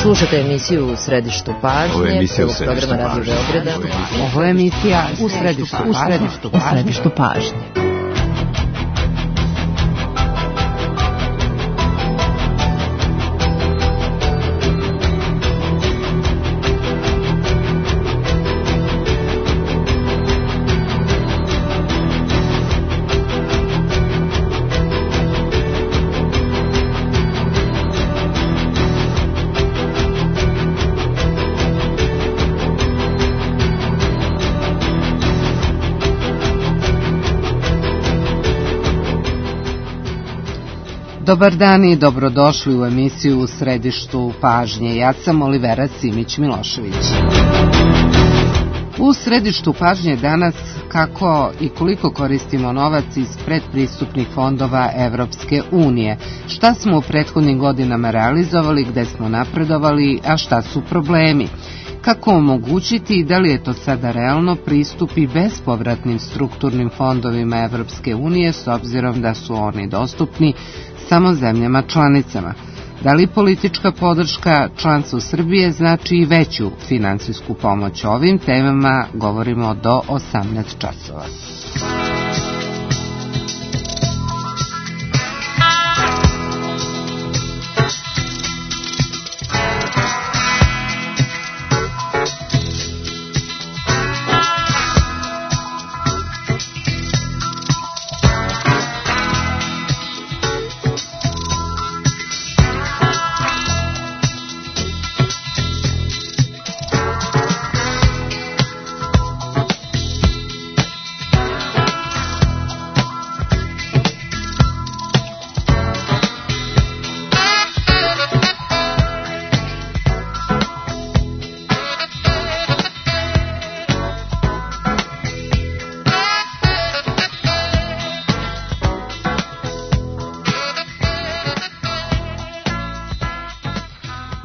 Slušate emisiju U središtu pažnje, programa Radio Beograda. Ovo je emisija U središtu pažnje. Dobar dan i dobrodošli u emisiju U središtu pažnje. Ja sam Olivera Simić-Milošević. U središtu pažnje danas kako i koliko koristimo novac iz predpristupnih fondova Evropske unije. Šta smo u prethodnim godinama realizovali, gde smo napredovali, a šta su problemi? Kako omogućiti i da li je to sada realno pristup i bespovratnim strukturnim fondovima Evropske unije s obzirom da su oni dostupni samo zemljama članicama? Da li politička podrška članstvu Srbije znači i veću finansijsku pomoć? O ovim temama govorimo do 18 časova.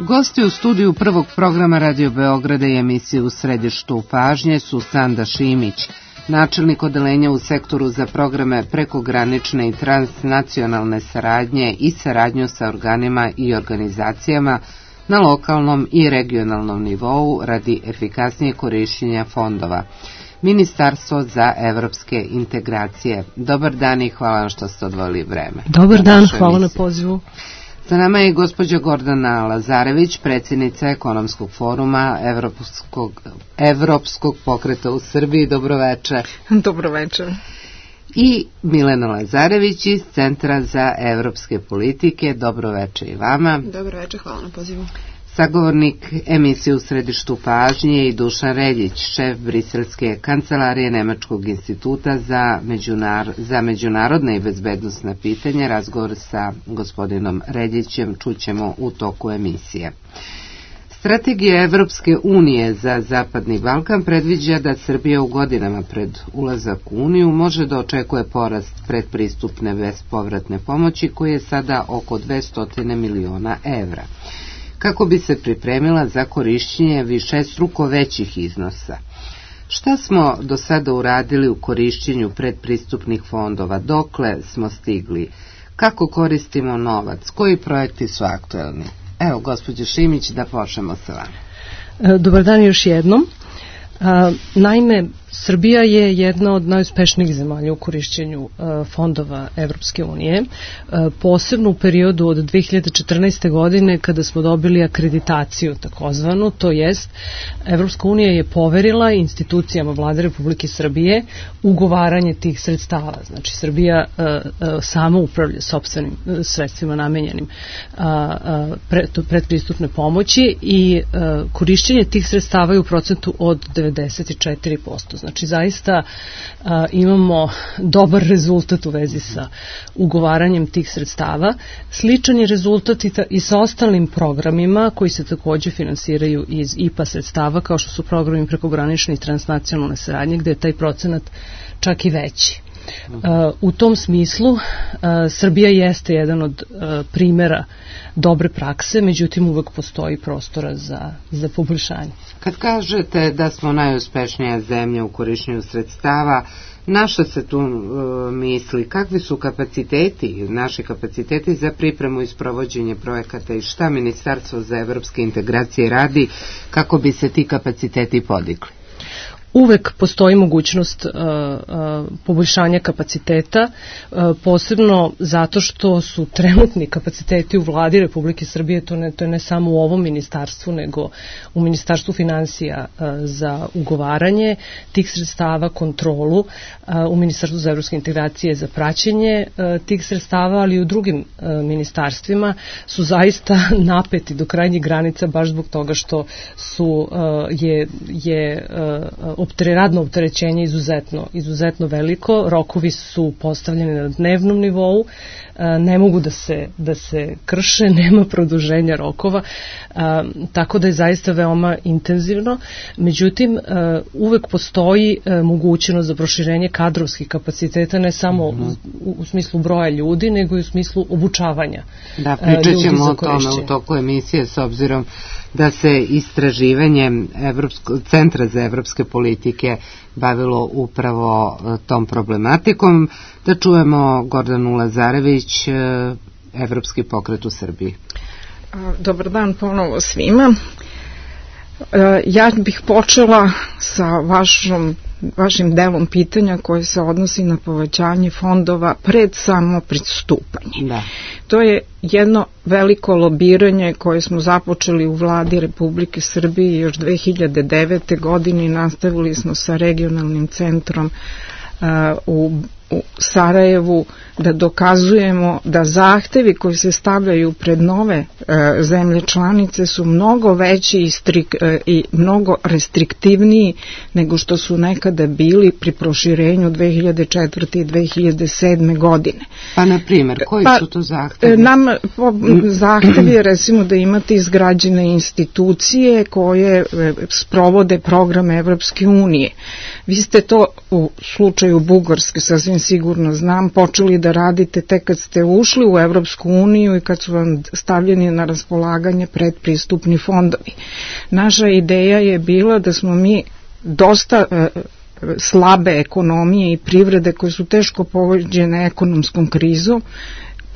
Gosti u studiju prvog programa Radio Beograda i emisije U središtu pažnje su Sanda Šimić, načelnik odeljenja u sektoru za programe prekogranične i transnacionalne saradnje i saradnju sa organima i organizacijama na lokalnom i regionalnom nivou radi efikasnije korišćenja fondova. Ministarstvo za evropske integracije. Dobar dan i hvala vam što ste odvojili vreme. Dobar dan, hvala na pozivu. Sa nama je gospođa Gordana Lazarević, predsjednica Ekonomskog foruma Evropskog pokreta u Srbiji. Dobroveče. Dobroveče. I Milena Lazarević iz Centra za evropske politike. Dobroveče i vama. Dobroveče, hvala na pozivu. Sagovornik emisije U središtu pažnje i Dušan Reljić, šef Briselske kancelarije Nemačkog instituta za međunarodne i bezbednosna pitanja. Razgovor sa gospodinom Reljićem čućemo u toku emisije. Strategija Evropske unije za Zapadni Balkan predviđa da Srbija u godinama pred ulazak u Uniju može da očekuje porast predpristupne bespovratne pomoći koji je sada oko 200 miliona evra, kako bi se pripremila za korišćenje višestruko većih iznosa. Šta smo do sada uradili u korišćenju predpristupnih fondova? Dokle smo stigli? Kako koristimo novac? Koji projekti su aktuelni? Evo, gospođo Šimić, da počnemo sa vama. Dobar dan još jednom. Naime, Srbija je jedna od najuspešnijih zemalja u korišćenju fondova Evropske unije, posebno u periodu od 2014. godine kada smo dobili akreditaciju takozvanu, to jest Evropska unija je poverila institucijama Vlade Republike Srbije ugovaranje tih sredstava. Znači Srbija sama upravlja sopstvenim sredstvima namenjenim predpristupne pomoći i korišćenje tih sredstava je u procentu od 94%. Znači zaista imamo dobar rezultat u vezi sa ugovaranjem tih sredstava. Sličan je rezultat i sa ostalim programima koji se takođe finansiraju iz IPA sredstava, kao što su programi prekogranične i transnacionalne saradnje, gde je taj procenat čak i veći. U tom smislu Srbija jeste jedan od primera dobre prakse, međutim uvek postoji prostora za poboljšanje. Kad kažete da smo najuspešnija zemlja u korišćenju sredstava, naša se tu misli, kakvi su naši kapaciteti za pripremu i sprovođenje projekata i šta Ministarstvo za evropske integracije radi kako bi se ti kapaciteti podigli? Uvek postoji mogućnost poboljšanja kapaciteta, posebno zato što su trenutni kapaciteti u vladi Republike Srbije, to je ne samo u ovom ministarstvu, nego u Ministarstvu finansija za ugovaranje tih sredstava, kontrolu, u Ministarstvu za evropske integracije za praćenje tih sredstava, ali i u drugim ministarstvima su zaista napeti do krajnjih granica baš zbog toga što je radno opterećenje izuzetno veliko, rokovi su postavljeni na dnevnom nivou, ne mogu da se krše, nema produženja rokova, tako da je zaista veoma intenzivno. Međutim, uvek postoji mogućnost za proširenje kadrovskih kapaciteta, ne samo u smislu broja ljudi, nego i u smislu obučavanja ljudi za korišćenje. Da, pričat ćemo o tome u toku emisije, s obzirom da se istraživanjem Centra za evropske politike bavilo upravo tom problematikom. Da čujemo Gordanu Lazarević, Evropski pokret u Srbiji. Dobar dan ponovo svima. Ja bih počela sa vašim delom pitanja koje se odnosi na povećanje fondova pred samo pristupanje. Da. To je jedno veliko lobiranje koje smo započeli u vladi Republike Srbije još 2009. godine i nastavili smo sa regionalnim centrom u Sarajevu da dokazujemo da zahtevi koji se stavljaju pred nove zemlje članice su mnogo veći i mnogo restriktivniji nego što su nekada bili pri proširenju 2004. i 2007. godine. Pa na primjer, koji su to zahtevi? Zahtev je recimo da imate izgrađene institucije koje sprovode program Evropske unije. Vi ste to u slučaju Bugarske, sasvim sigurno znam, počeli da radite tek kad ste ušli u Evropsku uniju i kad su vam stavljeni na raspolaganje predpristupni fondovi. Naša ideja je bila da smo mi dosta slabe ekonomije i privrede koje su teško pogođene ekonomskom krizom,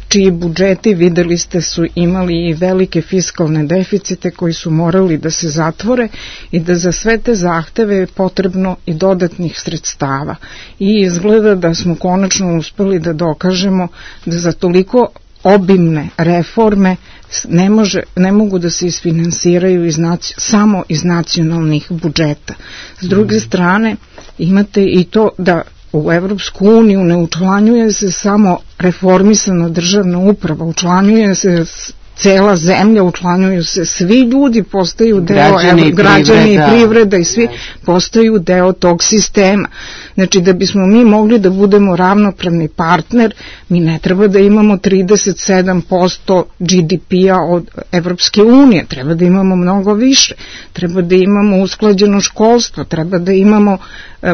čiji budžeti, videli ste, su imali i velike fiskalne deficite koji su morali da se zatvore i da za sve te zahteve je potrebno i dodatnih sredstava. I izgleda da smo konačno uspeli da dokažemo da za toliko obimne reforme ne mogu da se isfinansiraju samo iz nacionalnih budžeta. S druge strane, imate i to da u Evropsku uniju ne učlanjuje se samo reformisana državna uprava, učlanjuje se cela zemlja, učlanjuju se svi ljudi, postaju deo, građani i privreda i svi postaju deo tog sistema. Znači, da bismo mi mogli da budemo ravnopravni partner, mi ne treba da imamo 37% GDP-a od Evropske unije, treba da imamo mnogo više, treba da imamo usklađeno školstvo, treba da imamo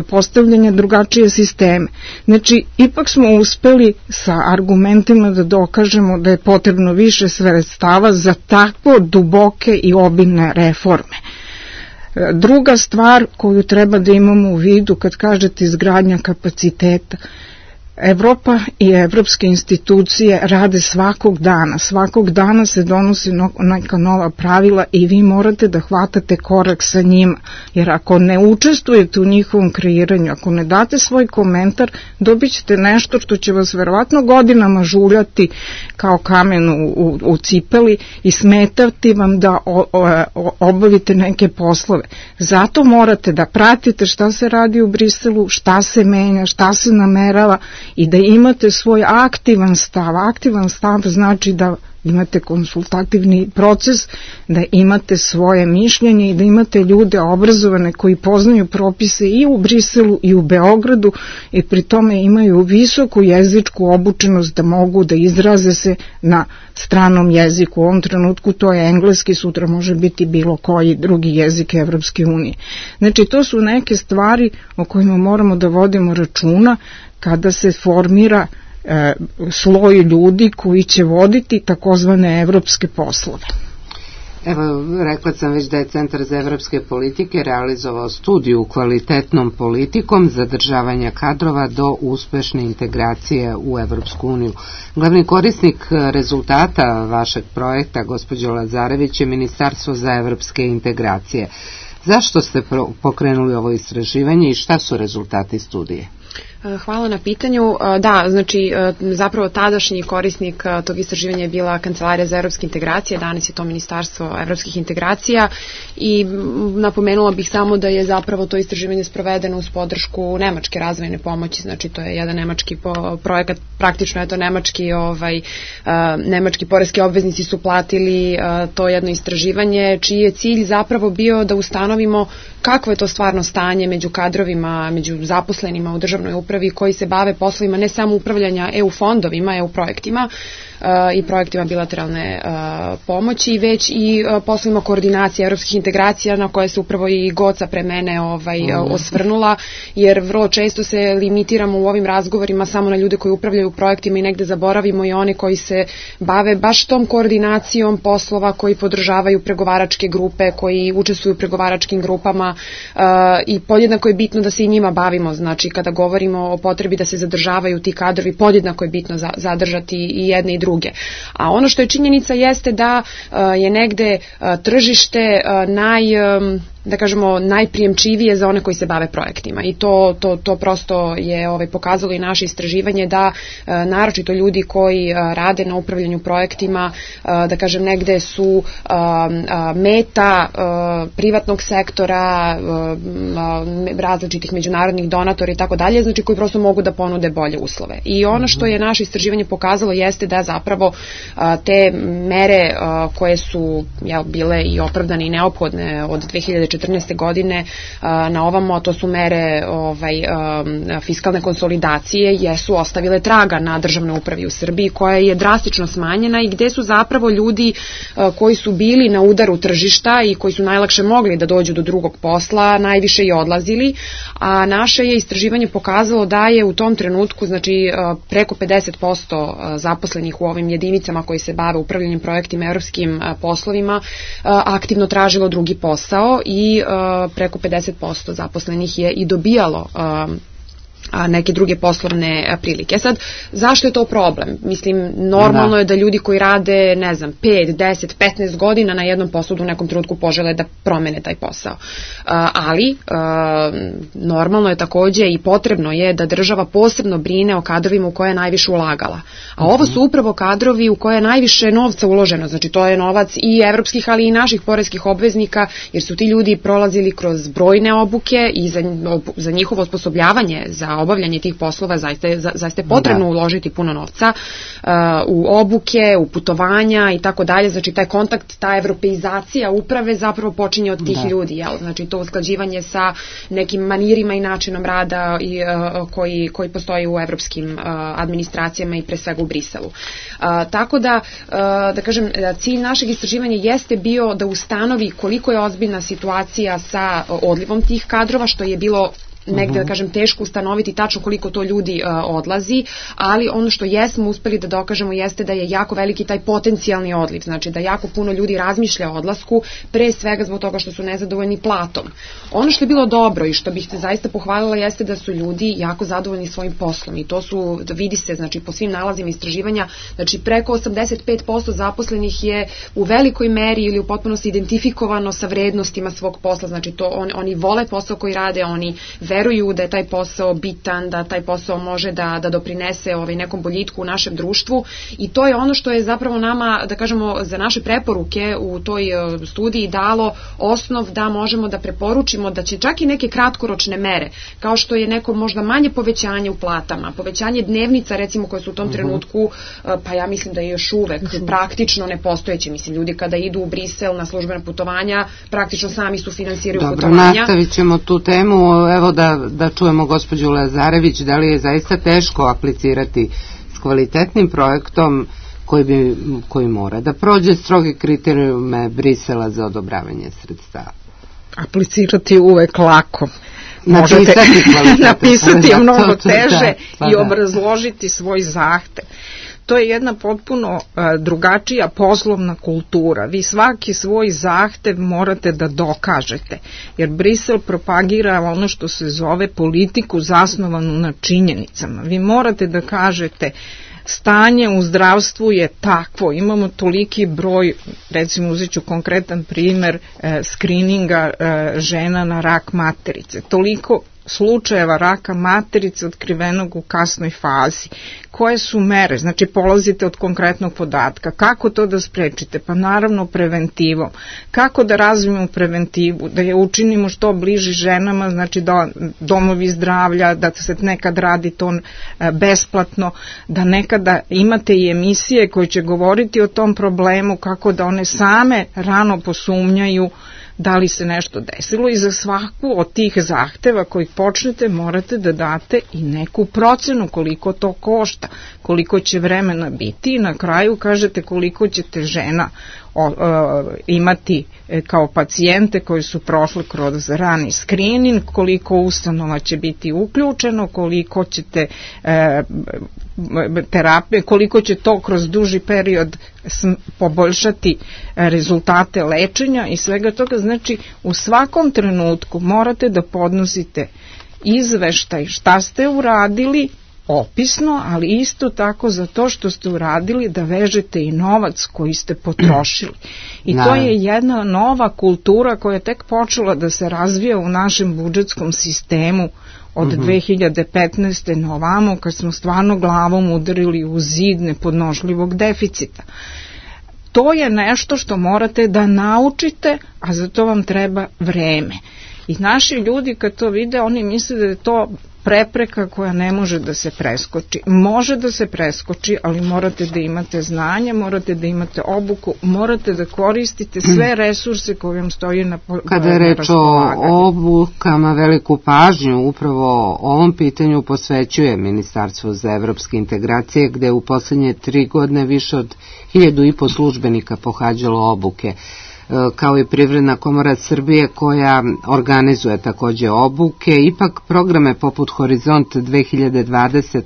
postavljanje drugačije sisteme. Znači, ipak smo uspeli sa argumentima da dokažemo da je potrebno više sredstava za tako duboke i obimne reforme. Druga stvar koju treba da imamo u vidu kad kažete izgradnja kapaciteta, Evropa i evropske institucije rade svakog dana se donose neka nova pravila i vi morate da hvatate korak sa njima, jer ako ne učestvujete u njihovom kreiranju, ako ne date svoj komentar, dobit ćete nešto što će vas verovatno godinama žuljati kao kamen u cipeli i smetati vam da obavite neke poslove. Zato morate da pratite šta se radi u Briselu, šta se menja, šta se namerava i da imate svoj aktivan stav. Aktivan stav znači da imate konsultativni proces, da imate svoje mišljenje i da imate ljude obrazovane koji poznaju propise i u Briselu i u Beogradu i pri tome imaju visoku jezičku obučenost da mogu da izraze se na stranom jeziku. U ovom trenutku to je engleski, sutra može biti bilo koji drugi jezik Evropske unije. Znači, to su neke stvari o kojima moramo da vodimo računa kada se formira sloj ljudi koji će voditi takozvane evropske poslove. Evo, rekla sam već da je Centar za evropske politike realizovao studiju kvalitetnom politikom zadržavanja kadrova do uspešne integracije u Evropsku uniju. Glavni korisnik rezultata vašeg projekta, gospođo Lazarević, je Ministarstvo za evropske integracije. Zašto ste pokrenuli ovo istraživanje i šta su rezultati studije? Hvala na pitanju. Da, znači zapravo tadašnji korisnik tog istraživanja je bila Kancelarija za evropske integracije, danas je to Ministarstvo evropskih integracija i napomenula bih samo da je zapravo to istraživanje sprovedeno uz podršku nemačke razvojne pomoći, znači to je jedan nemački projekat, praktično je to nemački poreski obveznici su platili to jedno istraživanje čiji je cilj zapravo bio da ustanovimo kakvo je to stvarno stanje među kadrovima, među zaposlenima u državnoj upravi koji se bave poslovima ne samo upravljanja EU fondovima, EU projektima i projektima bilateralne pomoći, već i poslovima koordinacije evropskih integracija na koje se upravo i Goca pre mene osvrnula, jer vrlo često se limitiramo u ovim razgovorima samo na ljude koji upravljaju projektima i negde zaboravimo i one koji se bave baš tom koordinacijom poslova, koji podržavaju pregovaračke grupe, koji učestvuju u pregovaračkim grupama i podjednako je bitno da se i njima bavimo, znači kada govorimo o potrebi da se zadržavaju ti kadrovi, podjednako je bitno zadržati i jedne i druge. A ono što je činjenica jeste da je negde tržište najprijemčivije za one koji se bave projektima i to prosto je pokazalo i naše istraživanje da naročito ljudi koji rade na upravljanju projektima, da kažem negde su meta privatnog sektora, različitih međunarodnih donatora i tako dalje, znači koji prosto mogu da ponude bolje uslove. I ono što je naše istraživanje pokazalo jeste da zapravo te mere koje su bile i opravdane i neophodne od 2014. godine na ovamo, a to su mere fiskalne konsolidacije, jesu ostavile traga na državnoj upravi u Srbiji koja je drastično smanjena i gde su zapravo ljudi koji su bili na udaru tržišta i koji su najlakše mogli da dođu do drugog posla, najviše i odlazili, a naše je istraživanje pokazalo da je u tom trenutku, znači preko 50% zaposlenih u ovim jedinicama koji se bave upravljanjem projektima, evropskim poslovima, aktivno tražilo drugi posao i preko 50% zaposlenih je i dobijalo neke druge poslovne prilike. Sad, zašto je to problem? Mislim, normalno je da ljudi koji rade, 5, 10, 15 godina na jednom poslu u nekom trenutku požele da promene taj posao. Ali, normalno je takođe i potrebno je da država posebno brine o kadrovima u koje je najviše ulagala. A ovo su upravo kadrovi u koje je najviše novca uloženo. Znači, to je novac i evropskih, ali i naših poreskih obveznika, jer su ti ljudi prolazili kroz brojne obuke i za njihovo osposobljavanje za obavljanje tih poslova zaista je potrebno uložiti puno novca u obuke, u putovanja i tako dalje. Znači taj kontakt, ta evropeizacija uprave zapravo počinje od tih ljudi. Znači to usklađivanje sa nekim manirima i načinom rada koji postoji u evropskim administracijama i pre svega u Briselu. Tako da kažem, cilj našeg istraživanja jeste bio da ustanovi koliko je ozbiljna situacija sa odlivom tih kadrova, što je bilo negde, da kažem, teško ustanoviti tačno koliko to ljudi odlazi, ali ono što jesmo uspeli da dokažemo jeste da je jako veliki taj potencijalni odliv, znači da jako puno ljudi razmišlja o odlasku, pre svega zbog toga što su nezadovoljni platom. Ono što je bilo dobro i što bih te zaista pohvalila jeste da su ljudi jako zadovoljni svojim poslom i to su, vidi se, znači po svim nalazima istraživanja, znači preko 85% zaposlenih je u velikoj meri ili u potpunosti identifikovano sa vrednostima svog posla, znači to oni vole posao koji rade, oni veruju da je taj posao bitan, da taj posao može da doprinese nekom boljitku u našem društvu i to je ono što je zapravo nama, da kažemo, za naše preporuke u toj studiji dalo osnov da možemo da preporučimo da će čak i neke kratkoročne mere, kao što je neko možda manje povećanje u platama, povećanje dnevnica recimo koje su u tom trenutku, pa ja mislim da je još uvek praktično nepostojeće. Mislim, ljudi kada idu u Brisel na službena putovanja, praktično sami su finansiraju putovanja. Dobro, nastavit ćemo tu temu. Evo da čujemo gospođu Lazarević, da li je zaista teško aplicirati s kvalitetnim projektom koji mora da prođe stroge kriterijume Brisela za odobravanje sredstava? Aplicirati je uvek lako. napisati je mnogo teže i obrazložiti svoj zahtev. To je jedna potpuno drugačija poslovna kultura. Vi svaki svoj zahtev morate da dokažete, jer Brisel propagira ono što se zove politiku zasnovanu na činjenicama. Vi morate da kažete stanje u zdravstvu je takvo, imamo toliki broj, recimo uzet ću konkretan primer skrininga žena na rak materice, toliko slučajeva raka materice otkrivenog u kasnoj fazi. Koje su mere? Znači polazite od konkretnog podatka. Kako to da sprečite? Pa naravno preventivom. Kako da razvijemo preventivu? Da je učinimo što bliži ženama, znači da domovi zdravlja, da se nekad radi to besplatno, da nekada imate i emisije koje će govoriti o tom problemu, kako da one same rano posumnjaju da li se nešto desilo, i za svaku od tih zahteva kojih počnete morate da date i neku procenu koliko to košta, koliko će vremena biti, i na kraju kažete koliko ćete žena imati kao pacijente koji su prošli kroz rani screening, koliko ustanova će biti uključeno, koliko ćete terapije, koliko će to kroz duži period poboljšati rezultate lečenja i svega toga. Znači u svakom trenutku morate da podnosite izveštaj šta ste uradili, opisno, ali isto tako za to što ste uradili da vežete i novac koji ste potrošili. I to je jedna nova kultura koja je tek počela da se razvija u našem budžetskom sistemu od 2015. na ovamo, kad smo stvarno glavom udarili u zid nepodnošljivog deficita. To je nešto što morate da naučite, a za to vam treba vreme. I naši ljudi kad to vide, oni misle da je to prepreka koja ne može da se preskoči. Može da se preskoči, ali morate da imate znanje, morate da imate obuku, morate da koristite sve resurse koje vam stoji na raspolaganju. Kada je reč o obukama, veliku pažnju upravo ovom pitanju posvećuje Ministarstvo za evropske integracije, gde u poslednje 3 godine više od 1500 službenika pohađalo obuke, kao i Privredna komora Srbije koja organizuje takođe obuke. Ipak programe poput Horizont 2020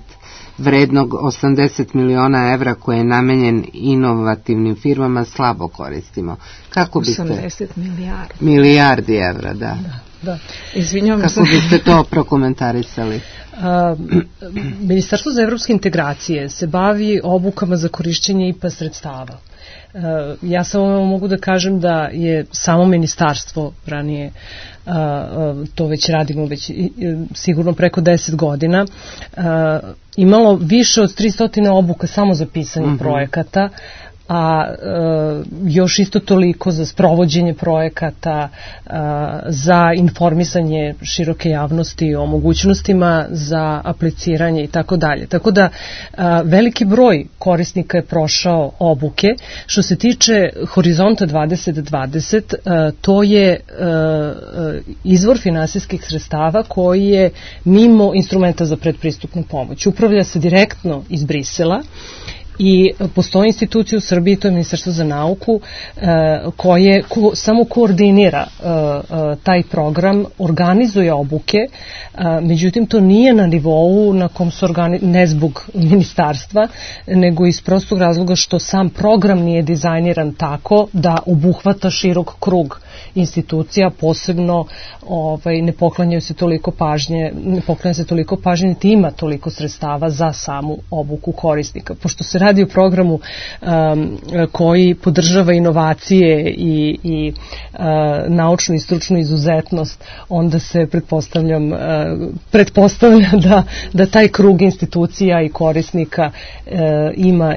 vrednog 80 miliona evra koje je namenjen inovativnim firmama slabo koristimo. Kako biste... 80 milijardi. Milijardi evra, da. Izvinjavam se. Kako biste to prokomentarisali? Ministarstvo za evropske integracije se bavi obukama za korišćenje IPA sredstava. Ja samo mogu da kažem da je samo ministarstvo ranije, to već radimo već sigurno preko 10 godina, imalo više od 300 obuka samo za pisanje projekata, a još isto toliko za sprovođenje projekata, za informisanje široke javnosti o mogućnostima za apliciranje i tako dalje. Tako da veliki broj korisnika je prošao obuke. Što se tiče Horizonta 2020, to je izvor finansijskih sredstava koji je mimo instrumenta za predpristupnu pomoć. Upravlja se direktno iz Brisela i postoji institucija u Srbiji, to je Ministarstvo za nauku, koje samo koordinira taj program, organizuje obuke, međutim to nije na nivou na kom su ne zbog ministarstva, nego iz prostog razloga što sam program nije dizajniran tako da obuhvata širok krug institucija, posebno ne poklanja se toliko pažnje, niti ima toliko sredstava za samu obuku korisnika. Pošto se radi o programu koji podržava inovacije i naučnu i stručnu izuzetnost, onda se pretpostavlja da taj krug institucija i korisnika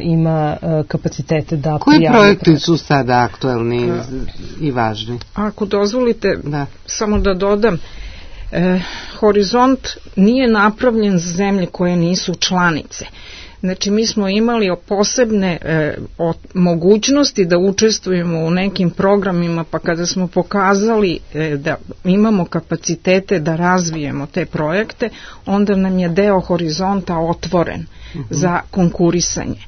ima kapacitete da Koji projekti su sada aktuelni i važni? Ako dozvolite, samo da dodam, Horizont nije napravljen za zemlje koje nisu članice. Znači mi smo imali posebne mogućnosti da učestvujemo u nekim programima, pa kada smo pokazali da imamo kapacitete da razvijemo te projekte, onda nam je deo Horizonta otvoren za konkurisanje.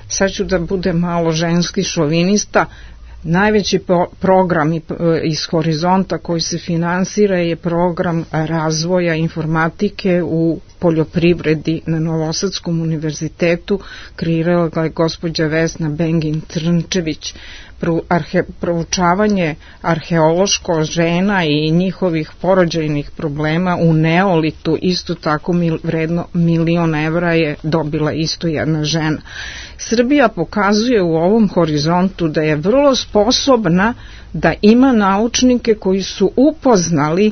Sad ću da budem malo ženski šovinista, Najveći program iz Horizonta koji se finansira je program razvoja informatike u poljoprivredi na Novosadskom univerzitetu. Kreirala ga je gospođa Vesna Bengin-Trnčević. Proučavanje arheološko žena i njihovih porođajnih problema u Neolitu, isto tako vredno 1.000.000 evra je dobila isto jedna žena. Srbija pokazuje u ovom Horizontu da je vrlo sposobna da ima naučnike koji su upoznali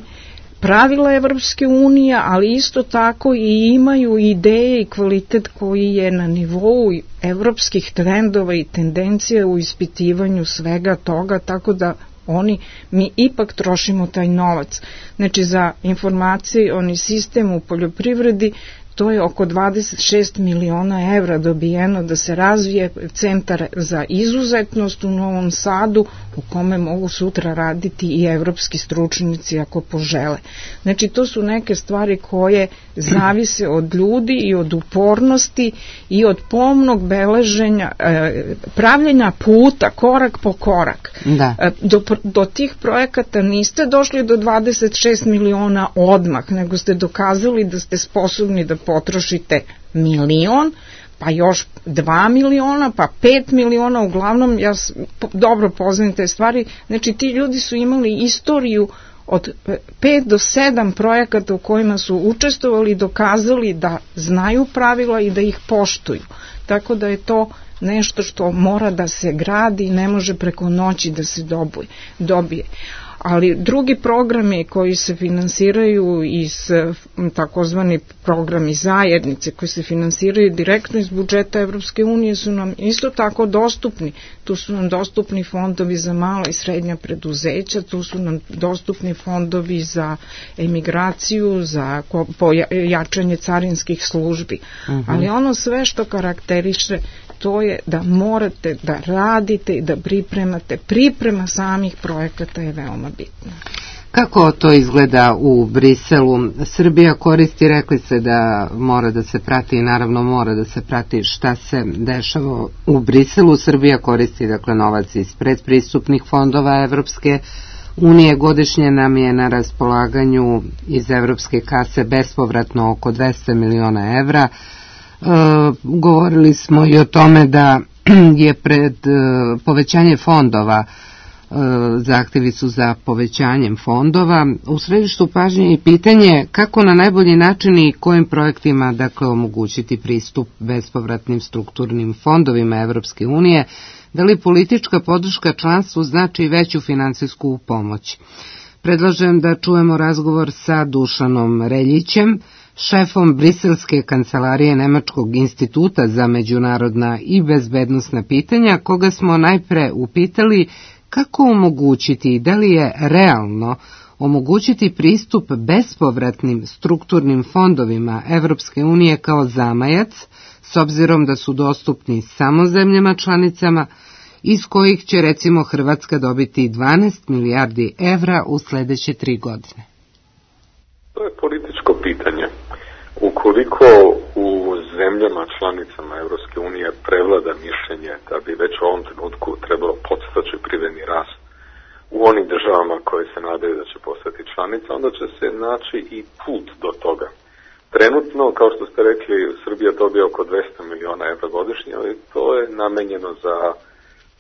pravila Evropske unije, ali isto tako i imaju ideje i kvalitet koji je na nivou evropskih trendova i tendencija u ispitivanju svega toga, tako da mi ipak trošimo taj novac. Znači za informacioni sistem u poljoprivredi to je oko 26 miliona evra dobijeno da se razvije centar za izuzetnost u Novom Sadu u kome mogu sutra raditi i evropski stručnjaci ako požele. Znači to su neke stvari koje zavise od ljudi i od upornosti i od pomnog beleženja, pravljenja puta korak po korak. Da. Do tih projekata niste došli do 26 miliona odmah, nego ste dokazali da ste sposobni da potrošite 1.000.000, pa još 2 miliona, pa 5 miliona, uglavnom ja dobro poznajem te stvari, znači ti ljudi su imali istoriju od 5 do 7 projekata u kojima su učestvovali i dokazali da znaju pravila i da ih poštuju. Tako da je to nešto što mora da se gradi i ne može preko noći da se dobije. Ali drugi programi koji se finansiraju iz takozvani programi zajednice koji se finansiraju direktno iz budžeta Evropske unije su nam isto tako dostupni. Tu su nam dostupni fondovi za mala i srednja preduzeća, tu su nam dostupni fondovi za emigraciju, za jačanje carinskih službi. Ali ono sve što karakteriše to je da morate da radite i da pripremate. Priprema samih projekata je veoma bitna. Kako to izgleda u Briselu? Srbija koristi, rekli se da mora da se prati i naravno mora da se prati šta se dešava u Briselu. Srbija koristi dakle novac iz predpristupnih fondova Evropske unije. Godišnje nam je na raspolaganju iz evropske kase bespovratno oko 200 miliona evra. Govorili smo i o tome da je pred povećanje fondova, zahtevi su za povećanjem fondova. U središtu pažnje je pitanje kako na najbolji način i kojim projektima dakle omogućiti pristup bespovratnim strukturnim fondovima Evropske unije, da li politička podrška članstvu znači veću finansijsku pomoć. Predlažem da čujemo razgovor sa Dušanom Reljićem, šefom Briselske kancelarije Nemačkog instituta za međunarodna i bezbednosna pitanja, koga smo najpre upitali kako omogućiti i da li je realno omogućiti pristup bespovratnim strukturnim fondovima Evropske unije kao zamajac, s obzirom da su dostupni samo zemljama članicama, iz kojih će recimo Hrvatska dobiti 12 milijardi evra u sledeće 3 godine. To je političko pitanje. Ukoliko u zemljama članicama Evropske unije prevlada mišljenje da bi već u ovom trenutku trebalo podstaći privredni rast u onim državama koje se nadaju da će postati članica, onda će se naći i put do toga. Trenutno, kao što ste rekli, Srbija dobija oko 200 miliona evra godišnje, ali to je namenjeno za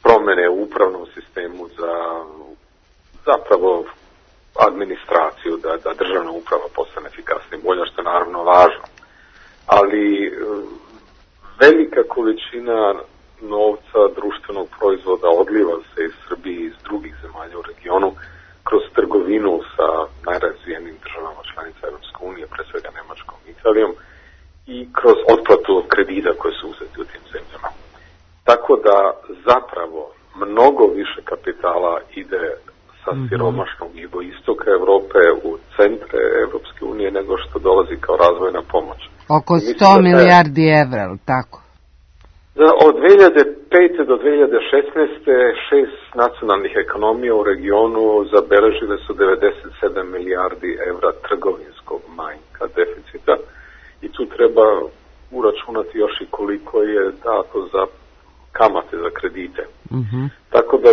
promene u upravnom sistemu, za zapravo administraciju, da državna uprava postane efikasnija i bolja, što je naravno važno. Ali velika količina novca društvenog proizvoda odliva se iz Srbije i iz drugih zemalja u regionu kroz trgovinu sa najrazvijenim državama članica Evropske unije, pre svega Nemačkom i Italijom, i kroz otplatu kredita koje su uzeti u tim zemljama. Tako da zapravo mnogo više kapitala ide sa siromašnog jugoistoka Evrope u centre Evropske unije nego što dolazi kao razvojna pomoć. Oko 100 milijardi evra, ali tako? Od 2005. do 2016. 6 nacionalnih ekonomija u regionu zabeležile su 97 milijardi evra trgovinskog manjka, deficita, i tu treba uračunati još i koliko je dato za kamate, za kredite. Tako da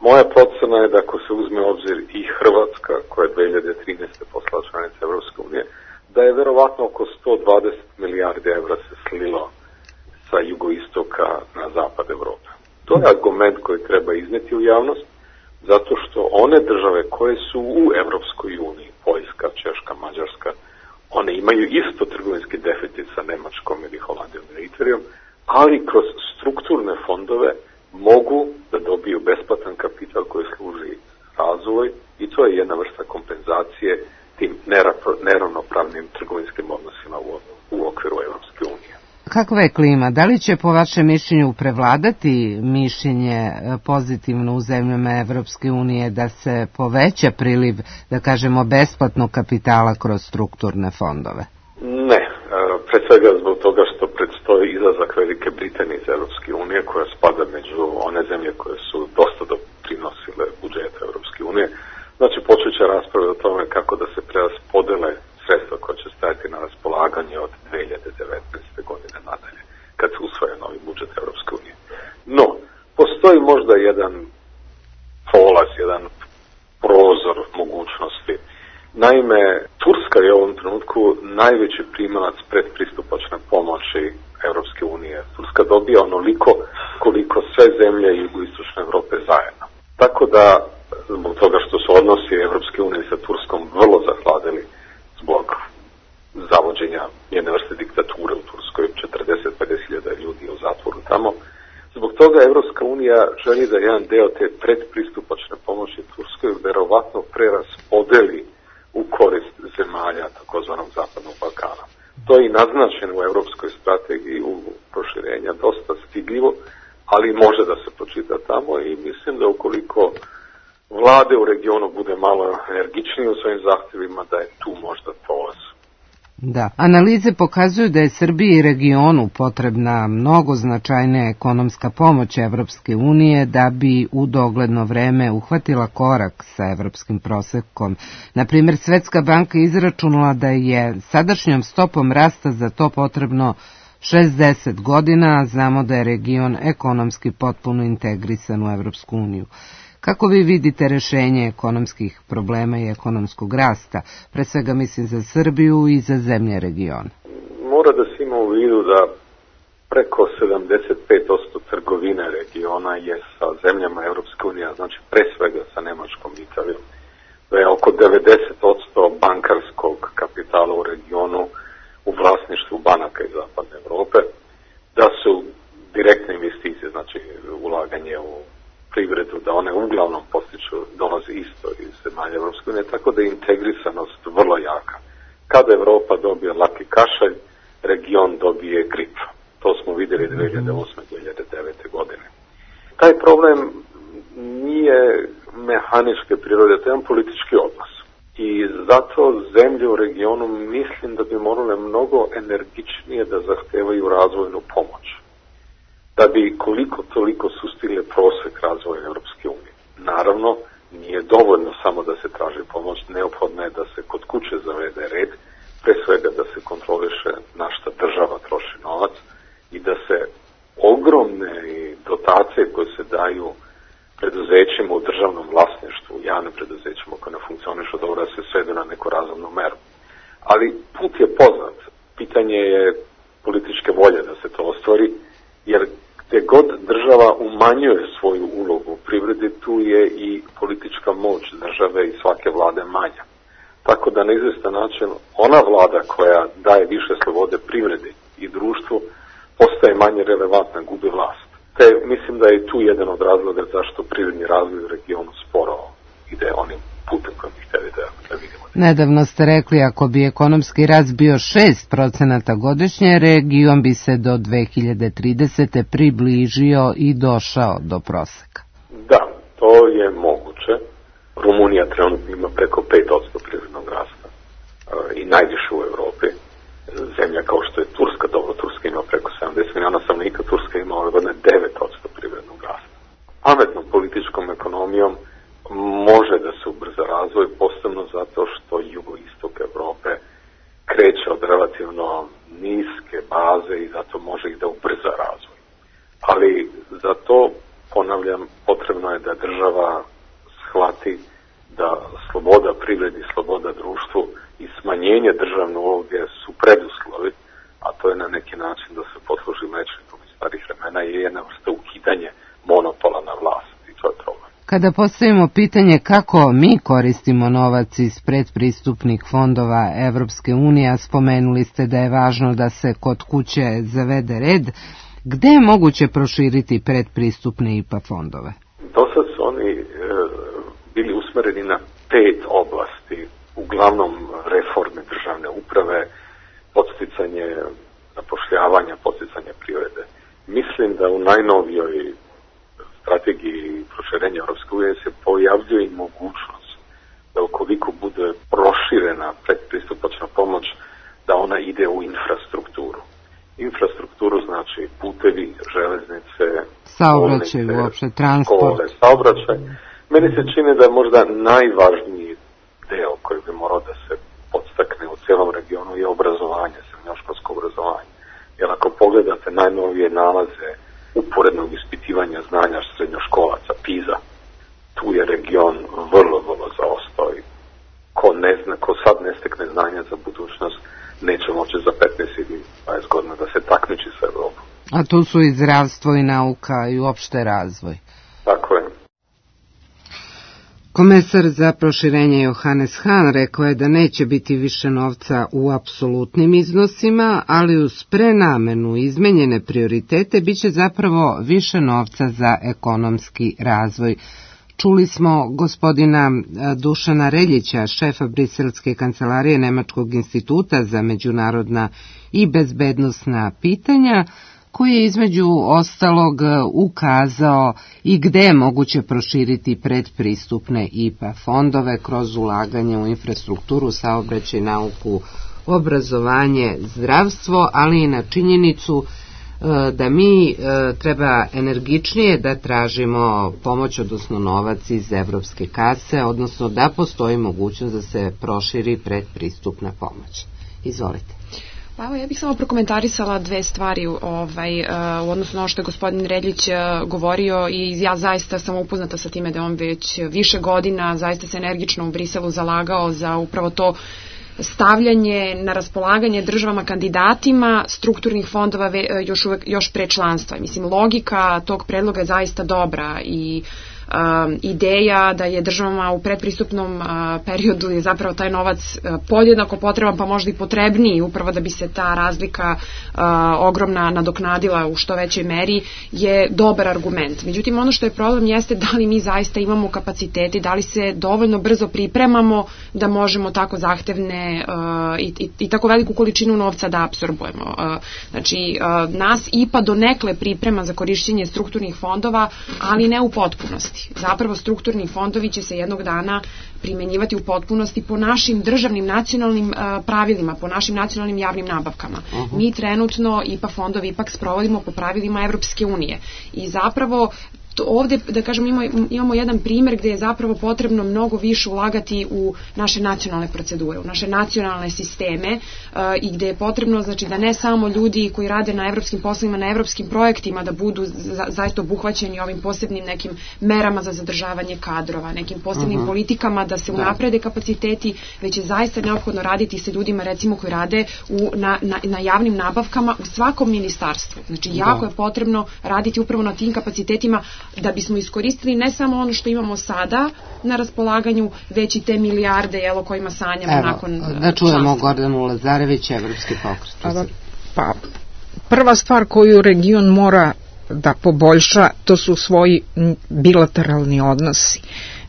Moja procena je da ako se uzme obzir i Hrvatska, koja je 2013. postala članica Evropske unije, da je verovatno oko 120 milijardi evra se slilo sa jugoistoka na zapad Evrope. To je argument koji treba izneti u javnost, zato što one države koje su u Evropskoj uniji, Poljska, Češka, Mađarska, one imaju isto trgovinski deficit sa Nemačkom ili Holandijom ili Italijom, ali kroz strukturne fondove mogu da dobiju besplatan kapital koji služi razvoj i to je jedna vrsta kompenzacije tim neravnopravnim trgovinskim odnosima u okviru Evropske unije. Kakva je klima? Da li će po vašem mišljenju prevladati mišljenje pozitivno u zemljama Evropske unije da se poveća priliv, da kažemo, besplatnog kapitala kroz strukturne fondove? Ne, pre svega zbog toga što predstoji izlazak Velike Britanije iz Evropske unije, koja spada među one zemlje koje su dosta doprinosile budžetu Evropske unije. Znači, počet će rasprave o tome kako da se preraspodele sredstva koja će stajati na raspolaganje od 2019. godine nadalje, kad se usvaja novi budžet Evropske unije. No, postoji možda jedan prolaz, jedan prozor mogućnosti. Naime, Turska je u ovom trenutku najveći primalac predpristupačne pomoći Evropske unije. Turska dobija onoliko koliko sve zemlje jugoistočne Evrope zajedno. Tako da, zbog toga što su odnosi Evropske unije sa Turskom vrlo zahladili zbog zavođenja jedne vrste diktature u Turskoj, 40-50 ljudi u zatvoru tamo. Zbog toga Evropska unija želi da jedan deo te predpristupačne pomoći Turskoj verovatno preraspodeli u korist zemalja takozvanog Zapadnog Balkana. To je i naznačeno u evropskoj strategiji u proširenja, dosta stidljivo, ali može da se pročita tamo i mislim da ukoliko vlade u regionu bude malo energičnije u svojim zahtjevima, da je tu možda prolaz. Da, analize pokazuju da je Srbiji i regionu potrebna mnogo značajnija ekonomska pomoć Evropske unije da bi u dogledno vreme uhvatila korak sa evropskim prosekom. Naprimjer, Svetska banka izračunala da je sadašnjom stopom rasta za to potrebno 60 godina, a znamo da je region ekonomski potpuno integrisan u Evropsku uniju. Kako vi vidite rešenje ekonomskih problema i ekonomskog rasta, pre svega mislim za Srbiju i za zemlje regiona? Mora da se ima u vidu da preko 75% trgovine regiona je sa zemljama Evropske unije, znači pre svega sa Nemačkom i Italijom. Da je oko 90% bankarskog kapitala u regionu u vlasništvu banaka iz Zapadne Evrope, da su direktne investicije, znači ulaganje u privredu, da one uglavnom dolaze isto iz zemalja Evropske unije, tako da je integrisanost vrlo jaka. Kada Evropa dobije laki kašalj, region dobije grip. To smo vidjeli 2008-2009. godine. Taj problem nije mehaničke prirode, to je jedan politički odnos. I zato zemlje u regionu mislim da bi morale mnogo energičnije da zahtevaju razvojnu pomoć, da bi koliko toliko sustigle prosek razvoja Evropske unije. Naravno, nije dovoljno samo da se traži pomoć, neophodno je da se kod kuće zavede red, pre svega da se kontroliše na šta država troši novac i da se ogromne dotacije koje se daju preduzećima u državnom vlasništvu, javnim preduzećima koje ne funkcionišu dobro, da se svedu na neku razumnu meru. Ali put je poznat. Pitanje je političke volje da se to ostvari, jer gde god država umanjuje svoju ulogu u privredi, tu je i politička moć države i svake vlade manja. Tako da na izvestan način ona vlada koja daje više slobode privredi i društvu postaje manje relevantna, gubi vlast. Te mislim da je tu jedan od razloga zašto privredni razvoj u regionu sporo ide onim putem kojim bi htjeli da vidimo. Nedavno ste rekli, ako bi ekonomski rast bio 6% godišnje, region bi se do 2030. približio i došao do proseka. Da, to je moguće. Rumunija trenutno ima preko 5% privrednog rasta i najviše u Evropi. Zemlja kao što je Turska, dobro, Turska ima preko 70 miliona stanovnika, Turska ima ove godine 9% privrednog rasta. Pametnom političkom ekonomijom može da se ubrza razvoj, posebno zato što jugoistok Evrope kreće od relativno niske baze i zato može ih da ubrza razvoj. Ali za to, ponavljam, potrebno je da država Kada postavimo pitanje kako mi koristimo novac iz predpristupnih fondova Evropske unije, a spomenuli ste da je važno da se kod kuće zavede red, gde je moguće proširiti predpristupne IPA fondove? Dosad su oni bili usmereni na 5 oblasti, uglavnom reforme državne uprave, podsticanje zapošljavanja, podsticanje privrede. Mislim da u najnovijoj strategiji proširenja Europske unije se pojavljuje i mogućnost da ukoliko bude proširena predpristupačna pomoć, da ona ide u infrastrukturu. Infrastrukturu znači putevi, železnice, saobraćaj, uopšte transport, škole, saobraćaj. Meni se čini da je možda najvažniji deo koji bi morao da se podstakne u cijelom regionu je obrazovanje, srednjoškolsko obrazovanje. Jer ako pogledate najnovije nalaze uporednog ispitivanja znanja srednjoškolaca, PISA, tu je region vrlo zaostao i ko sad ne stekne znanja za budućnost, neće moći za 15 ili 20 godina da se takmiči sa Evropom. A tu su i zdravstvo i nauka i uopšte razvoj. Tako je. Komesar za proširenje Johannes Hahn rekao je da neće biti više novca u apsolutnim iznosima, ali uz prenamenu izmenjene prioritete biće zapravo više novca za ekonomski razvoj. Čuli smo gospodina Dušana Reljića, šefa Briselske kancelarije Nemačkog instituta za međunarodna i bezbednosna pitanja, koji je između ostalog ukazao i gde je moguće proširiti predpristupne IPA fondove kroz ulaganje u infrastrukturu, saobraćaj, nauku, obrazovanje, zdravstvo, ali i na činjenicu da mi treba energičnije da tražimo pomoć, odnosno novac iz evropske kase, odnosno da postoji mogućnost da se proširi predpristupna pomoć. Izvolite. Pa evo, ja bih samo prokomentarisala 2 stvari u odnosu na ono što je gospodin Reljić govorio i ja zaista sam upoznata sa time da on već više godina zaista se energično u Briselu zalagao za upravo to stavljanje na raspolaganje državama kandidatima strukturnih fondova još pre članstva. Mislim, logika tog predloga je zaista dobra i ideja da je državama u predpristupnom periodu je zapravo taj novac podjednako potreban, pa možda i potrebniji, upravo da bi se ta razlika ogromna nadoknadila u što većoj meri, je dobar argument. Međutim, ono što je problem jeste da li mi zaista imamo kapaciteti, da li se dovoljno brzo pripremamo da možemo tako zahtevne i tako veliku količinu novca da apsorbujemo. Znači, nas IPA donekle priprema za korišćenje strukturnih fondova, ali ne u potpunosti. Zapravo strukturni fondovi će se jednog dana primenjivati u potpunosti po našim državnim nacionalnim pravilima, po našim nacionalnim javnim nabavkama. Mi trenutno IPA fondovi ipak sprovodimo po pravilima Evropske unije i zapravo ovde, da kažem, imamo jedan primjer gde je zapravo potrebno mnogo više ulagati u naše nacionalne procedure, u naše nacionalne sisteme i gde je potrebno, znači, da ne samo ljudi koji rade na evropskim poslovima, na evropskim projektima da budu zaista obuhvaćeni ovim posebnim nekim merama za zadržavanje kadrova, nekim posebnim politikama da se unaprede kapaciteti, već je zaista neophodno raditi sa ljudima, recimo, koji rade na javnim nabavkama u svakom ministarstvu. Znači, jako je potrebno raditi upravo na tim kapacitetima da bismo iskoristili ne samo ono što imamo sada na raspolaganju, već i te milijarde o kojima sanjamo nakon da čujemo Gordanu Lazarević, Evropski pokret. Pa, prva stvar koju region mora da poboljša, to su svoji bilateralni odnosi.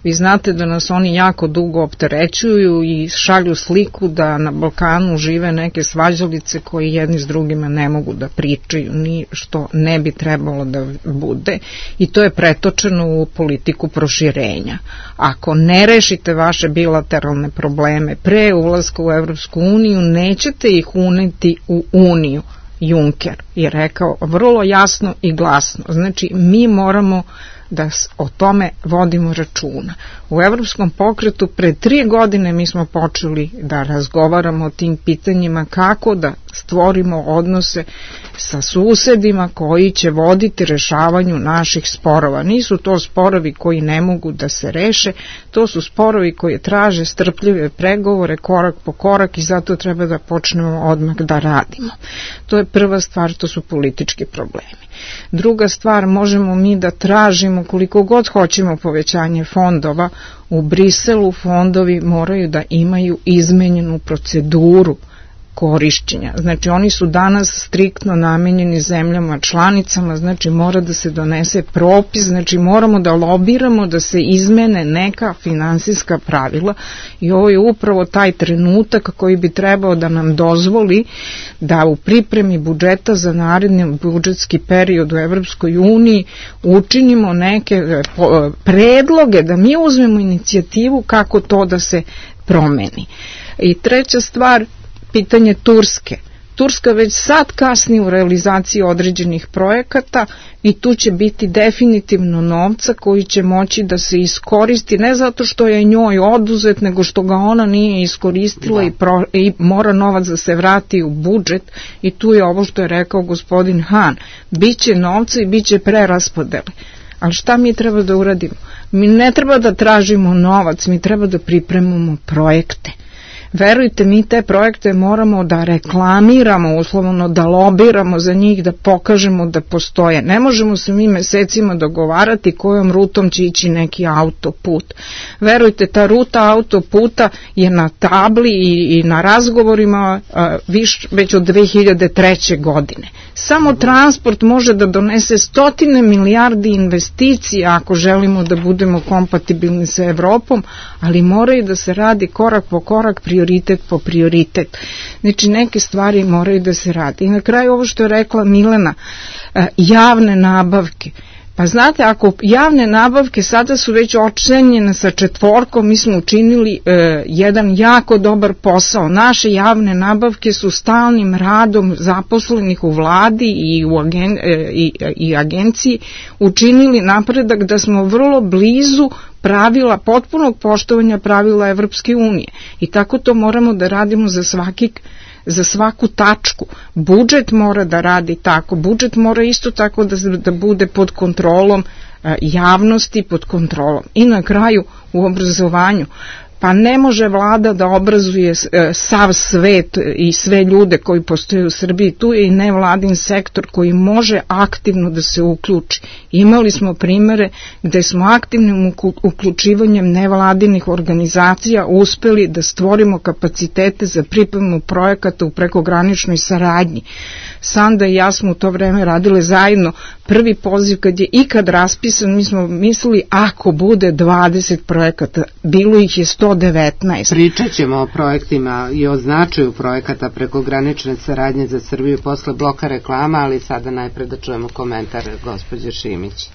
Vi znate da nas oni jako dugo opterećuju i šalju sliku da na Balkanu žive neke svađalice koji jedni s drugima ne mogu da pričaju, ni što ne bi trebalo da bude, i to je pretočeno u politiku proširenja. Ako ne rešite vaše bilateralne probleme pre ulaska u Evropsku uniju, nećete ih uneti u uniju. Juncker je rekao vrlo jasno i glasno. Znači, mi moramo da o tome vodimo računa. U Evropskom pokretu pre 3 godine mi smo počeli da razgovaramo o tim pitanjima, kako da stvorimo odnose sa susedima koji će voditi rešavanju naših sporova. Nisu to sporovi koji ne mogu da se reše, to su sporovi koji traže strpljive pregovore korak po korak i zato treba da počnemo odmah da radimo. To je prva stvar, to su politički problemi. Druga stvar, možemo mi da tražimo koliko god hoćemo povećanje fondova, u Briselu fondovi moraju da imaju izmenjenu proceduru korišćenja. Znači oni su danas striktno namenjeni zemljama članicama, znači mora da se donese propis, znači moramo da lobiramo da se izmene neka finansijska pravila i ovo je upravo taj trenutak koji bi trebao da nam dozvoli da u pripremi budžeta za naredni budžetski period u Evropskoj uniji učinimo neke predloge, da mi uzmemo inicijativu kako to da se promeni. I treća stvar, pitanje Turske. Turska već sad kasni u realizaciji određenih projekata i tu će biti definitivno novca koji će moći da se iskoristi, ne zato što je njoj oduzet, nego što ga ona nije iskoristila i mora novac da se vrati u budžet i tu je ovo što je rekao gospodin Han. Biće novca i biće preraspodele. Ali šta mi treba da uradimo? Mi ne treba da tražimo novac, mi treba da pripremamo projekte. Verujte, mi te projekte moramo da reklamiramo, uslovno da lobiramo za njih, da pokažemo da postoje. Ne možemo se mi mesecima dogovarati kojom rutom će ići neki autoput. Verujte, ta ruta autoputa je na tabli i na razgovorima već od 2003. godine. Samo transport može da donese 100 milijardi investicija ako želimo da budemo kompatibilni sa Evropom, ali moraju da se radi korak po korak, prioritet po prioritet. Znači neke stvari moraju da se radi. I na kraju ovo što je rekla Milena, javne nabavke. Pa znate, ako javne nabavke sada su već ocenjene sa 4, mi smo učinili jedan jako dobar posao. Naše javne nabavke su stalnim radom zaposlenih u vladi i agenciji učinili napredak da smo vrlo blizu pravila, potpunog poštovanja pravila Evropske unije. I tako to moramo da radimo za svaku tačku. Budžet mora da radi tako, budžet mora isto tako da bude pod kontrolom javnosti, pod kontrolom. I na kraju u obrazovanju, pa ne može vlada da obrazuje sav svet i sve ljude koji postoje u Srbiji, tu je i nevladin sektor koji može aktivno da se uključi. Imali smo primere gde smo aktivnim uključivanjem nevladinih organizacija uspeli da stvorimo kapacitete za pripremu projekata u prekograničnoj saradnji. Sanda i ja smo u to vreme radile zajedno. Prvi poziv kad je ikad raspisan, mi smo mislili ako bude 20 projekata, bilo ih je 119. Pričat ćemo o projektima i o značaju projekata prekogranične saradnje za Srbiju posle bloka reklama, ali sada najpre da čujemo komentar gospođe Šimić.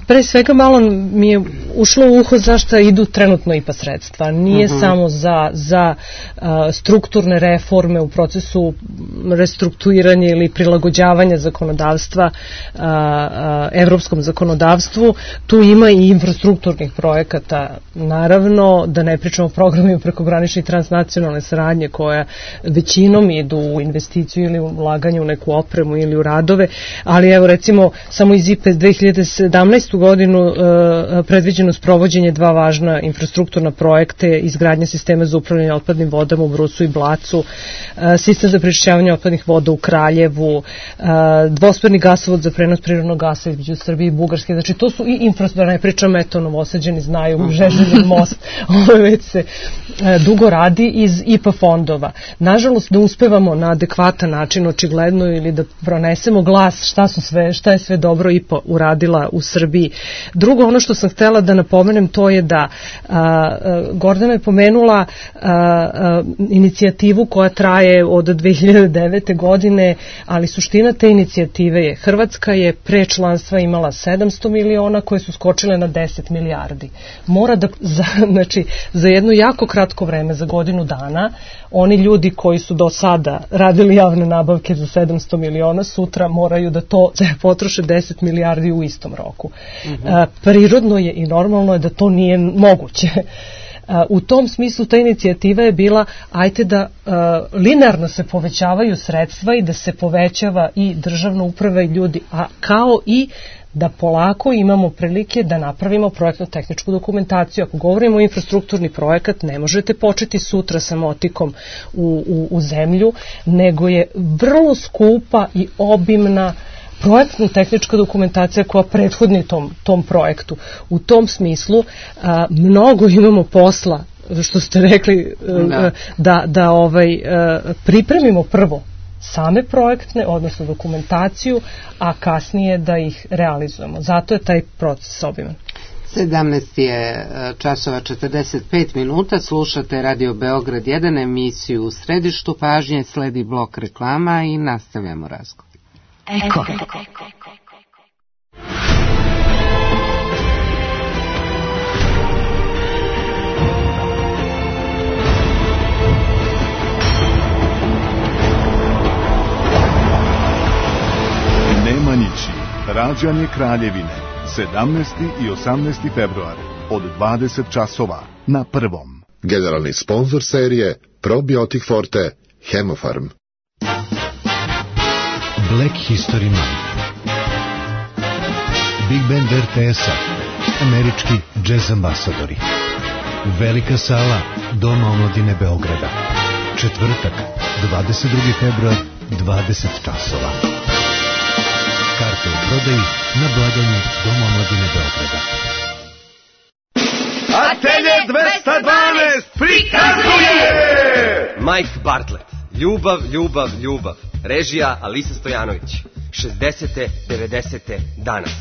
Pre svega malo mi je ušlo u uho zašto idu trenutno IPA sredstva. Nije samo za strukturne reforme u procesu restrukturiranja ili prilagođavanja zakonodavstva evropskom zakonodavstvu. Tu ima i infrastrukturnih projekata, naravno, da ne pričamo o programima prekogranične i transnacionalne saradnje koja većinom idu u investiciju ili ulaganje u neku opremu ili u radove, ali evo recimo samo iz IPA 2017. godinu predviđeno sprovođenje 2 važna infrastrukturna projekte, izgradnja sistema za upravljanje otpadnim vodama u Brusu i Blacu, sistem za prečišćavanje otpadnih voda u Kraljevu, dvosmerni gasovod za prenos prirodnog gasa između Srbije i Bugarske. Znači to su i infrastruktura, ne pričam, eto, Novosađani znaju, Žeželjev most, ovo već se dugo radi iz IPA fondova. Nažalost, ne uspevamo na adekvatan način, očigledno, ili da pronesemo glas šta je sve dobro IPA uradila u Srbiji. Drugo, ono što sam htela da napomenem, to je da Gordana je pomenula inicijativu koja traje od 2009. godine, ali suština te inicijative je Hrvatska je pre članstva imala 700 miliona koje su skočile na 10 milijardi. Mora da, znači, za jedno jako kratko vreme, za godinu dana, oni ljudi koji su do sada radili javne nabavke za 700 miliona, sutra moraju da to potroše 10 milijardi u istom roku. Prirodno je i normalno je da to nije moguće. U tom smislu ta inicijativa je bila ajte da linearno se povećavaju sredstva i da se povećava i državna uprava i ljudi, a kao i da polako imamo prilike da napravimo projektno-tehničku dokumentaciju. Ako govorimo o infrastrukturni projekat, ne možete početi sutra sa motikom u zemlju, nego je vrlo skupa i obimna projektno-tehnička dokumentacija koja prethodi tom projektu. U tom smislu mnogo imamo posla, što ste rekli, da pripremimo prvo same projektne, odnosno dokumentaciju, a kasnije da ih realizujemo. Zato je taj proces obiman. 17 je časova 45 minuta, slušate Radio Beograd 1, emisiju U središtu pažnje, sledi blok reklama i nastavljamo razgovor. Eko. Nemanjići, rađanje Kraljevine, 17. i 18. februar, od 20 časova, na Prvom. Generalni sponsor serije Probiotik Forte, Hemofarm. Black History Month. Big Band RTS-a, američki jazz ambasadori. Velika sala Doma omladine Beograda. Četvrtak, 22. februar, 20 časova. Karte u prodaji na blagajni Doma omladine Beograda. Atelje 212 prikazuje Mike Bartlett. Ljubav, ljubav, ljubav. Režija Alisa Stojanović. 60. 90. danas.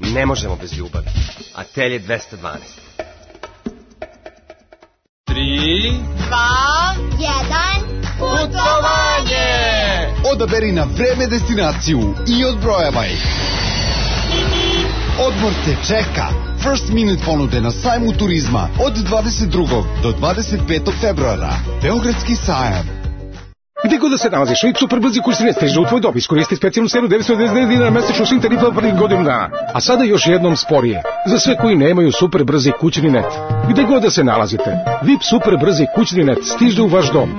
Ne možemo bez ljubavi. Atelje 212. 3, 2, 1, putovanje! Odaberi na vreme destinaciju i odbrojavaj. Odmor te čeka. First Minute ponude na sajmu turizma od 22. do 25. februara. Beogradski sajam. Gde god da se nalaziš, VIP superbrzi kurs ne stiže u tvoj dob. Iskoristi specijalnu cenu 999 dinara mesečno svim tarifama prvih godinu dana. A sada još jednom sporije. Za sve koji nemaju superbrzi kućni net. Gde god da se nalazite, VIP superbrzi kućni net stiže u vaš dom.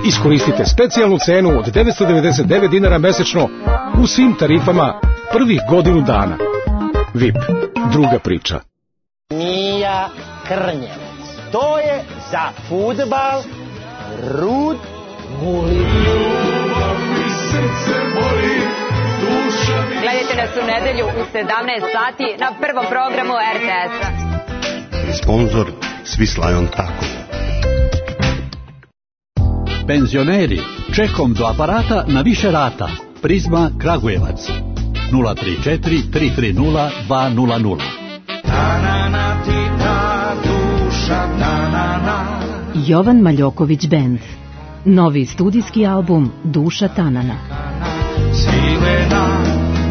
Iskoristite specijalnu cenu od 999 dinara mesečno u svim tarifama prvih godinu dana. VIP, druga priča. Mija Krnjevac. To je za fudbal Rud Guli. Gledajte nas u nedelju u 17 sati na prvom programu RTS-a. Sponzor Swiss Lion Taco. Penzioneri, čekom do aparata na više rata. Prizma Kragujevac. 034 330 200. Jovan Maljoković Band. Novi studijski album Duša Tanana. Svilena,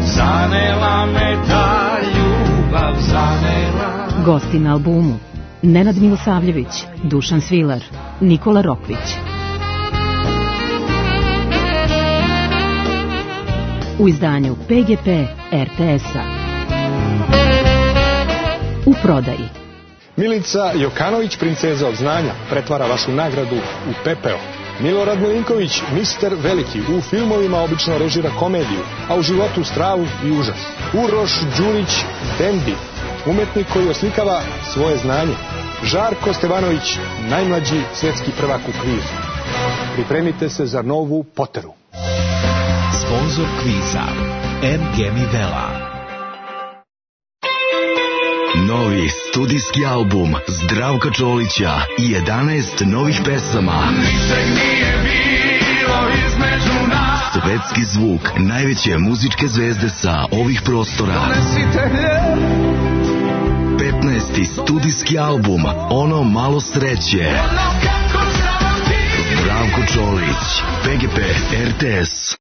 zanela me ta ljubav, zanela. Gosti na albumu Nenad Milosavljević, Dušan Svilar, Nikola Rokvić. U izdanju PGP RTS-a. U prodaji. Milica Jokanović, princeza od znanja, pretvara vašu nagradu u pepeo. Milorad Milinković, mister veliki, u filmovima obično režira komediju, a u životu stravu i užas. Uroš Đurić, Dendi, umetnik koji oslikava svoje znanje. Žarko Stevanović, najmlađi svetski prvak u kvizu. Pripremite se za novu Poteru. Sponzor kviza MG Mivela. Novi studijski album Zdravka Čolića i 11 novih pesama. Ničeg nije bilo između nas. Svetski zvuk najveće muzičke zvezde sa ovih prostora. 15. studijski album Ono malo sreće. Zdravko Čolić, PGP RTS.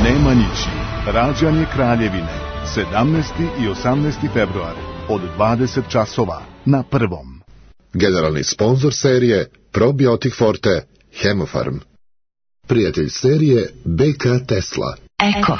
Nemanjići, rađanje Kraljevine, 17. i 18. februar, od 20 časova, na Prvom. Generalni sponsor serije Probiotik Forte, Hemofarm. Prijatelj serije BK Tesla. Eko.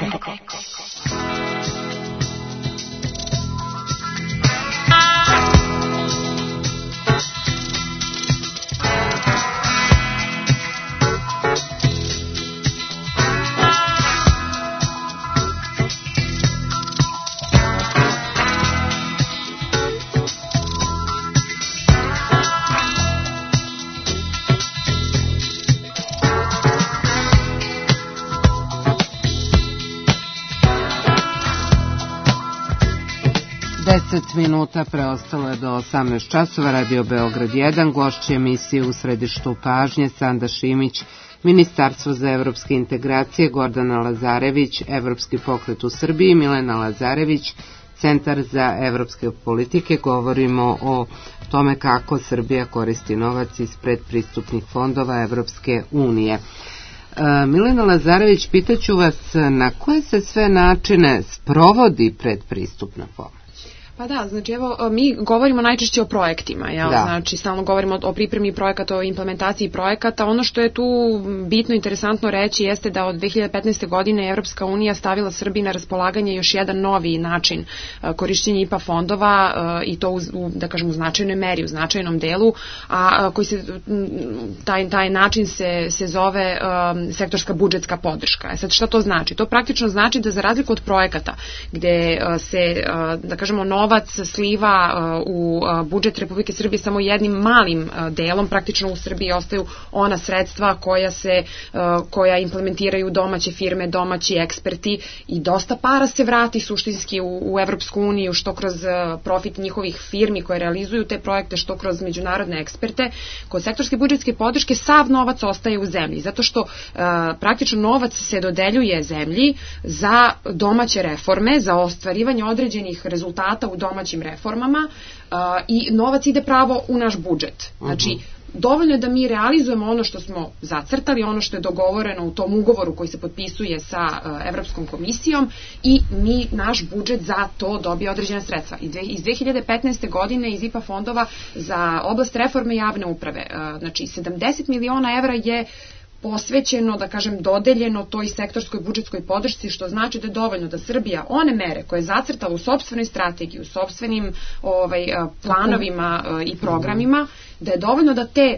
10 minuta preostalo je do 18 časova. Radio Beograd 1, gošće emisije U središtu pažnje Sanda Šimić, Ministarstvo za evropske integracije, Gordana Lazarević, Evropski pokret u Srbiji, Milena Lazarević, Centar za evropske politike. Govorimo o tome kako Srbija koristi novac iz predpristupnih fondova Evropske unije. Milena Lazarević, pitaću vas na koje se sve načine sprovodi predpristupna pomoć? Pa da, znači evo, mi govorimo najčešće o projektima, jel? Da. Znači stalno govorimo o pripremi projekata, o implementaciji projekata. Ono što je tu bitno, interesantno reći jeste da od 2015. godine Evropska unija stavila Srbiji na raspolaganje još jedan novi način korišćenja IPA fondova i to da kažem u značajnoj meri, u značajnom delu, a koji se, taj način se zove sektorska budžetska podrška. Sad šta to znači? To praktično znači da za razliku od projekata gde se, da kažemo, novac sliva u budžet Republike Srbije samo jednim malim delom, praktično u Srbiji ostaju ona sredstva koja implementiraju domaće firme, domaći eksperti i dosta para se vrati suštinski u Evropsku uniju, što kroz profit njihovih firmi koje realizuju te projekte, što kroz međunarodne eksperte. Kod sektorske budžetske podrške sav novac ostaje u zemlji, zato što praktično novac se dodeljuje zemlji za domaće reforme, za ostvarivanje određenih rezultata u domaćim reformama i novac ide pravo u naš budžet. Znači, dovoljno je da mi realizujemo ono što smo zacrtali, ono što je dogovoreno u tom ugovoru koji se potpisuje sa Evropskom komisijom i naš budžet za to dobije određena sredstva. Iz 2015. godine iz IPA fondova za oblast reforme javne uprave, znači 70 miliona evra je posvećeno, da kažem, dodeljeno toj sektorskoj budžetskoj podršci, što znači da je dovoljno da Srbija one mere koje je zacrtala u sopstvenoj strategiji, u sopstvenim planovima i programima, da je dovoljno da te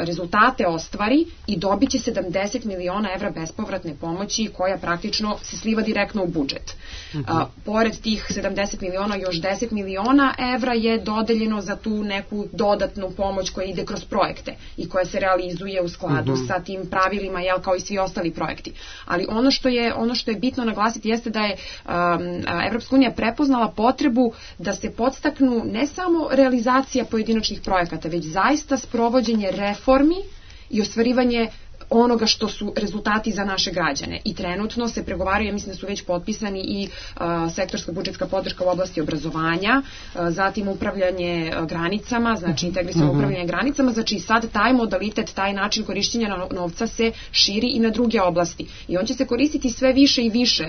rezultate ostvari i dobit će 70 miliona evra bespovratne pomoći koja praktično se sliva direktno u budžet. Pored tih 70 miliona, još 10 miliona evra je dodeljeno za tu neku dodatnu pomoć koja ide kroz projekte i koja se realizuje u skladu sa tim pravilima, kao i svi ostali projekti. Ali ono što je bitno naglasiti jeste da je Evropska unija prepoznala potrebu da se podstaknu ne samo realizacija pojedinačnih projekata, već zaista sprovođenje reformi i ostvarivanje onoga što su rezultati za naše građane. I trenutno se pregovaraju, ja mislim da su već potpisani i sektorska budžetska podrška u oblasti obrazovanja, zatim upravljanje granicama, znači integrisano upravljanje granicama, znači sad taj modalitet, taj način korišćenja novca se širi i na druge oblasti. I on će se koristiti sve više i više.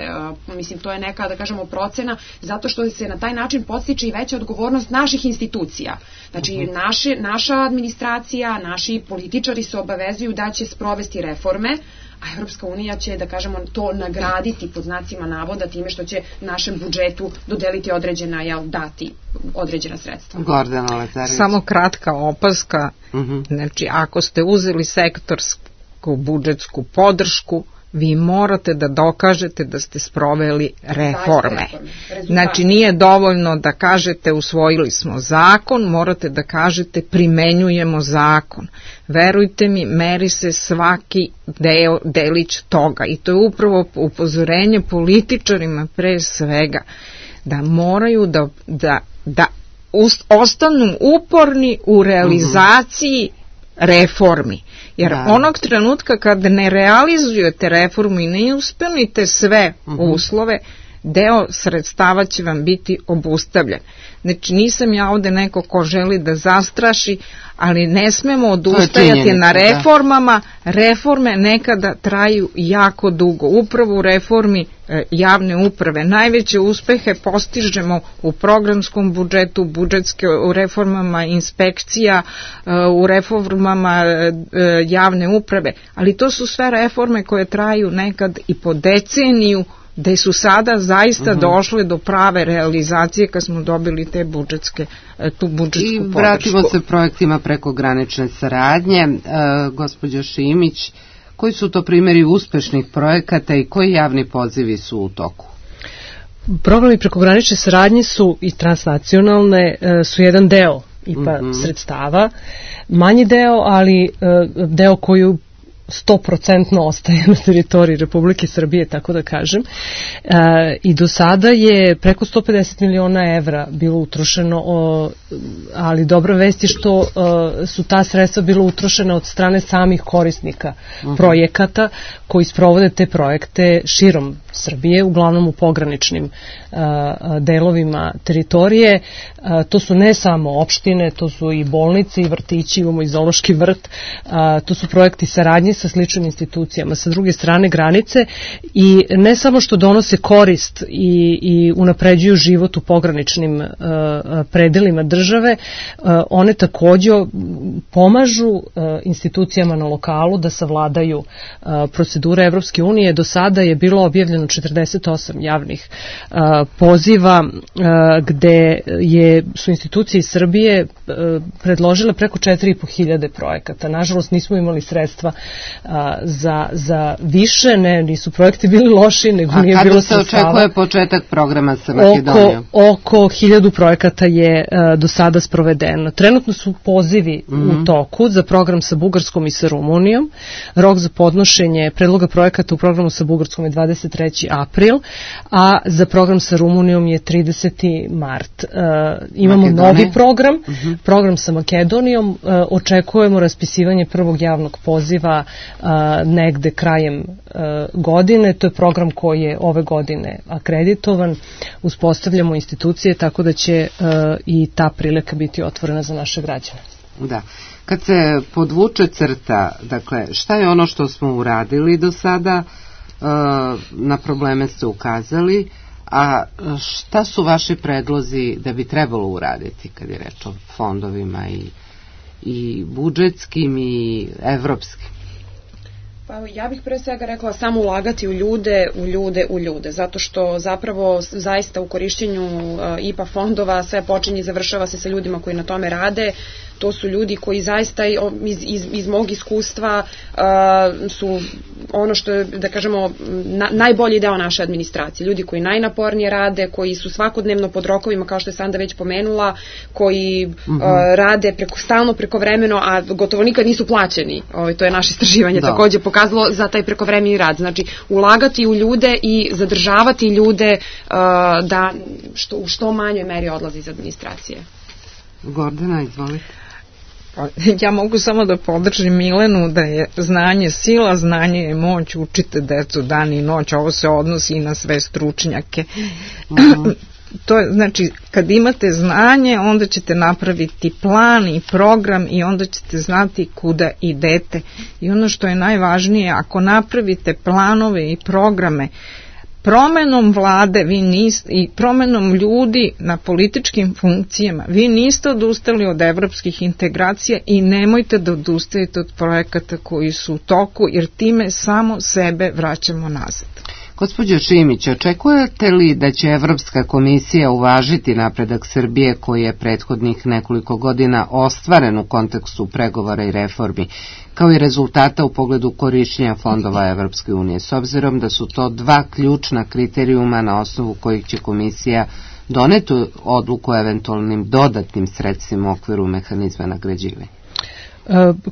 Mislim, to je neka, da kažemo, procena, zato što se na taj način podstiče i veća odgovornost naših institucija. Znači, naša administracija, naši političari se obavezuju da će sprovesti reforme, a Evropska unija će, da kažemo, to nagraditi pod znacima navoda time što će našem budžetu dodeliti dati određena sredstva. Gordana Lazarević. Samo kratka opaska, znači ako ste uzeli sektorsku budžetsku podršku, vi morate da dokažete da ste sproveli reforme. Znači nije dovoljno da kažete usvojili smo zakon, morate da kažete primenjujemo zakon. Verujte mi, meri se svaki delić toga i to je upravo upozorenje političarima pre svega, da moraju da ostanu uporni u realizaciji reformi. Jer onog trenutka kad ne realizujete reformu i ne ispunite sve uslove, deo sredstava će vam biti obustavljen. Znači nisam ja ovde neko ko želi da zastraši, ali ne smemo odustajati na reformama. Reforme nekada traju jako dugo. Upravo u reformi javne uprave najveće uspehe postižemo u programskom budžetu, u reformama inspekcija, u reformama javne uprave, ali to su sve reforme koje traju nekad i po deceniju, gde su sada zaista došle do prave realizacije kad smo dobili tu budžetsku podršku. I vratimo se projektima prekogranične saradnje. Gospođo Šimić, koji su to primjeri uspešnih projekata i koji javni pozivi su u toku? Programi prekogranične saradnje su i transnacionalne, su jedan deo IPA sredstava, manji deo, ali deo koji 100% ostaje na teritoriji Republike Srbije, tako da kažem. I do sada je preko 150 miliona evra bilo utrošeno, ali dobra vest je što su ta sredstva bila utrošena od strane samih korisnika projekata koji sprovode te projekte širom Srbije, uglavnom u pograničnim delovima teritorije. To su ne samo opštine, to su i bolnice i vrtići, imamo i zoološki vrt, to su projekti saradnje sa sličnim institucijama sa druge strane granice i ne samo što donose korist i unapređuju život u pograničnim predelima države, one takođe pomažu institucijama na lokalu da savladaju procedure Evropske unije. Do sada je bilo objavljeno 48 javnih poziva gde su institucije iz Srbije predložile preko 4.500 projekata. Nažalost, nismo imali sredstva za više, nisu projekti bili loši, nego nije bilo sredstava. A kada se očekuje početak programa sa Makedonijom? Oko 1000 projekata je do sada sprovedeno. Trenutno su pozivi u toku za program sa Bugarskom i sa Rumunijom. Rok za podnošenje predloga projekata u programu sa Bugarskom je 23. april, a za program sa Rumunijom je 30. mart. Imamo novi program sa Makedonijom. Očekujemo raspisivanje prvog javnog poziva negde krajem godine. To je program koji je ove godine akreditovan. Uspostavljamo institucije, tako da će i ta prilika biti otvorena za naše građane. Da. Kad se podvuče crta, dakle, šta je ono što smo uradili do sada, na probleme ste ukazali, a šta su vaši predlozi da bi trebalo uraditi kad je reč o fondovima i budžetskim i evropskim? Pa ja bih pre svega rekla samo ulagati u ljude, zato što zapravo zaista u korišćenju IPA fondova sve počinje i završava se sa ljudima koji na tome rade. To su ljudi koji zaista iz mog iskustva su ono što je, da kažemo, najbolji deo naše administracije. Ljudi koji najnapornije rade, koji su svakodnevno pod rokovima, kao što je Sanda već pomenula, koji rade stalno prekovremeno, a gotovo nikad nisu plaćeni. To je naše istraživanje takođe pokazalo za taj prekovremeni rad. Znači, ulagati u ljude i zadržavati ljude da u što manjoj meri odlazi iz administracije. Gordana, izvolite. Ja mogu samo da podržim Milenu da je znanje sila, znanje je moć, učite decu dan i noć, ovo se odnosi i na sve stručnjake. To je, znači, kad imate znanje, onda ćete napraviti plan i program i onda ćete znati kuda idete. I ono što je najvažnije, ako napravite planove i programe, promenom vlade i promenom ljudi na političkim funkcijama, vi niste odustali od evropskih integracija i nemojte da odustajete od projekata koji su u toku, jer time samo sebe vraćamo nazad. Gospođo Šimić, očekujete li da će Evropska komisija uvažiti napredak Srbije koji je prethodnih nekoliko godina ostvaren u kontekstu pregovora i reformi, kao i rezultata u pogledu korišćenja fondova Evropske unije, s obzirom da su to dva ključna kriterijuma na osnovu kojih će komisija doneti odluku o eventualnim dodatnim sredstvima u okviru mehanizma nagrađivanja?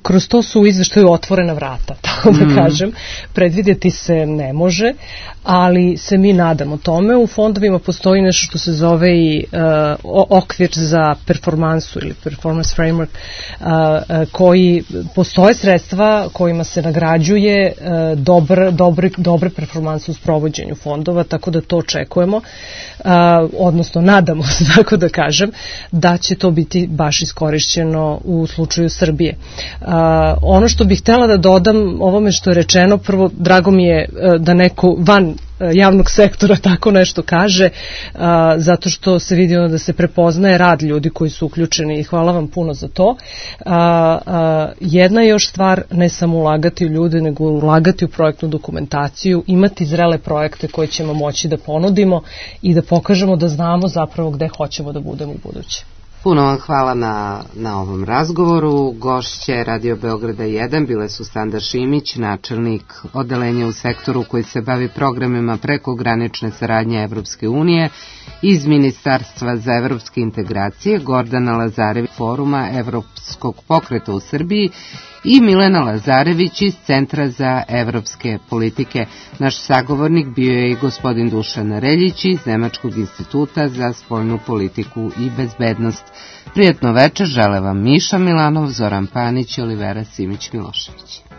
Kroz to su u izveštaju otvorena vrata, tako da kažem. Predvidjeti se ne može, ali se mi nadamo tome. U fondovima postoji nešto što se zove i okvir za performansu ili performance framework, koji postoje sredstva kojima se nagrađuje dobre performanse u sprovođenju fondova, tako da to očekujemo, odnosno nadamo se, tako da kažem, da će to biti baš iskorišćeno u slučaju Srbije. Ono što bih htjela da dodam ovome što je rečeno, prvo, drago mi je da neko van javnog sektora tako nešto kaže, zato što se vidi da se prepoznaje rad ljudi koji su uključeni i hvala vam puno za to. Jedna je još stvar, ne samo ulagati u ljude, nego ulagati u projektnu dokumentaciju, imati zrele projekte koje ćemo moći da ponudimo i da pokažemo da znamo zapravo gde hoćemo da budemo u buduće. Puno vam hvala na ovom razgovoru. Gošće Radio Beograda 1 bile su Sanda Šimić, načelnik odeljenja u sektoru koji se bavi programima prekogranične saradnje Evropske unije, iz Ministarstva za evropske integracije Gordana Lazarević, Foruma Evropskog pokreta u Srbiji, i Milena Lazarević iz Centra za evropske politike. Naš sagovornik bio je i gospodin Dušan Reljić iz Nemačkog instituta za spoljnu politiku i bezbednost. Prijatno večer žele vam Miša Milanov, Zoran Panić i Olivera Simić-Milošević.